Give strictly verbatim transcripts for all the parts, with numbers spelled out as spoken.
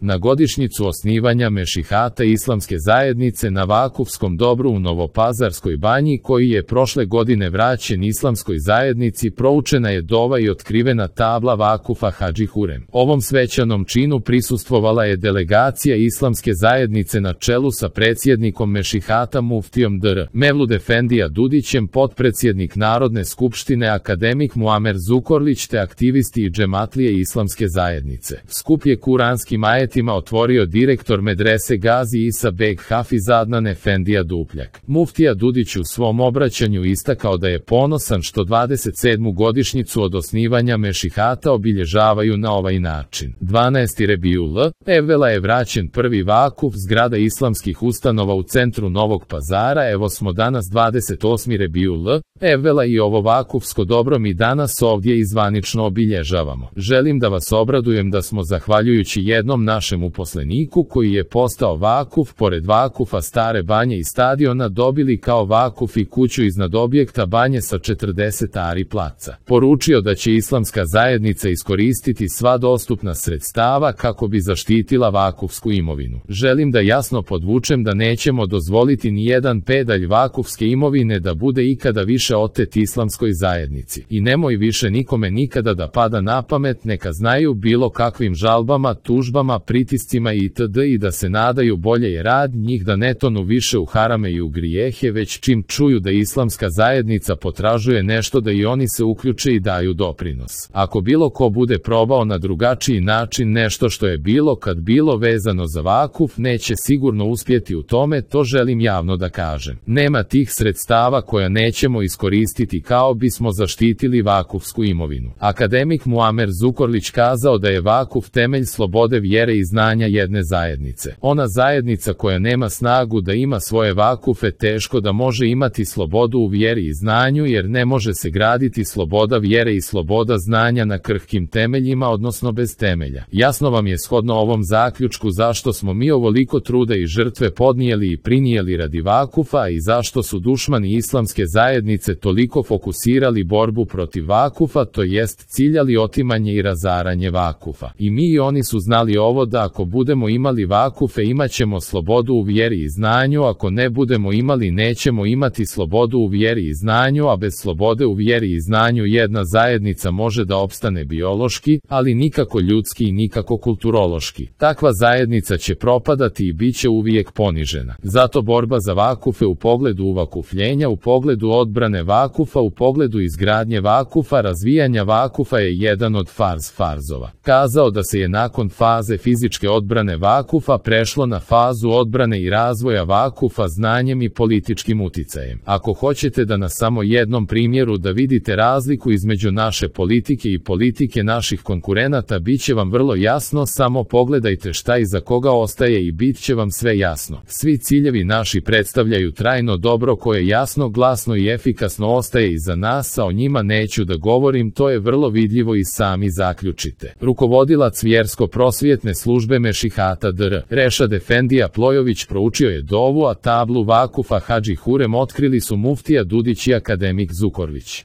Na godišnjicu osnivanja Mešihata Islamske zajednice na vakufskom dobru u Novopazarskoj banji, koji je prošle godine vraćen Islamskoj zajednici, proučena je dova i otkrivena tabla vakufa Hadži Hurem. Ovom svećanom činu prisustvovala je delegacija Islamske zajednice na čelu sa predsjednikom Mešihata muftijom dr. Mevlud Efendija Dudićem, potpredsjednik Narodne skupštine akademik Muamer Zukorlić te aktivisti i džematlije Islamske zajednice. Skup je kuranskim ajetima otvorio direktor medrese Gazi Isa Beg Hafiz Adnan Efendija Dupljak. Muftija Dudić u svom obraćanju istakao da je ponosan što dvadeset sedmu godišnjicu od osnivanja Mešihata obilježavaju na ovaj način. dvanaesti Rebijul Evvela je vraćen prvi vakuf zgrada islamskih ustanova u centru Novog Pazara. Evo smo danas dvadeset osmi Rebijul Evvela i ovo vakufsko dobro mi danas ovdje izvanično obilježavamo. Želim da vas obradujem da smo zahvaljujući jednom našem uposleniku koji je postao vakuf pored vakufa Stare banje i stadiona dobili kao vakuf i kuću iznad objekta banje sa četrdeset ari placa. Poručio da će Islamska zajednica iskoristiti sva dostupna sredstava kako bi zaštitila vakufsku imovinu. Želim da jasno podvučem da nećemo dozvoliti ni jedan pedalj vakufske imovine da bude ikada više otet Islamskoj zajednici. I nemoj više nikome nikada da pada na pamet, neka znaju bilo kakvim žalbama, tužbama, pritiscima itd. i da se nadaju bolje je rad njih da ne tonu više u harame i u grijehe, već čim čuju da Islamska zajednica potražuje nešto da i oni se uključe i daju doprinos. Ako bilo ko bude probao na drugačiji način nešto što je bilo kad bilo vezano za vakuf, neće sigurno uspjeti u tome, to želim javno da kažem. Nema tih sredstava koja nećemo iskoristiti kao bismo zaštitili vakufsku imovinu. Akademik Muamer Zukorlić kazao da je vakuf temelj slobode vjere i znanja jedne zajednice. Ona zajednica koja nema snagu da ima svoje vakufe teško da može imati slobodu u vjeri i znanju, jer ne može se graditi sloboda vjere i sloboda znanja na krhkim temeljima, odnosno bez temelja. Jasno vam je shodno ovom zaključku zašto smo mi ovoliko truda i žrtve podnijeli i prinijeli radi vakufa i zašto su dušmani Islamske zajednice toliko fokusirali borbu protiv vakufa, to jest ciljali otimanje i razaranje vakufa. I mi i oni su znali ovo da ako budemo imali vakufe imat ćemo slobodu u vjeri i znanju, ako ne budemo imali nećemo imati slobodu u vjeri i znanju, a bez slobode u vjeri i znanju jedna zajednica može da opstane biološki, ali nikako ljudski i nikako kulturološki. Takva zajednica će propadati i bit će uvijek ponižena. Zato borba za vakufe u pogledu uvakufljenja, u pogledu odbrane vakufa, u pogledu izgradnje vakufa, razvijanja vakufa je jedan od farz farzova. Kazao da se je nakon faze fizičke odbrane vakufa prešlo na fazu odbrane i razvoja vakufa znanjem i političkim uticajem. Ako hoćete da na samo jednom primjeru da vidite razliku između naše politike i politike naših konkurenata, bit će vam vrlo jasno, samo pogledajte šta i za koga ostaje i bit će vam sve jasno. Svi ciljevi naši predstavljaju trajno dobro koje jasno, glasno i efikasno ostaje iza nas, a o njima neću da govorim, to je vrlo vidljivo i sami zaključite. Rukovodilac vjersko-prosvjetne službe Mešihata dr. Rešad Efendija Plojović proučio je dovu, a tablu vakufa Hadži Hurem otkrili su muftija Dudić i akademik Zukorlić.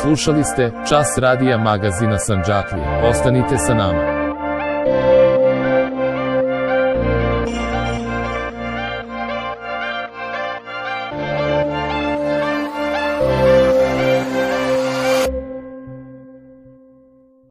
Slušali ste Čas radija magazina Sandžaklije. Ostanite sa nama.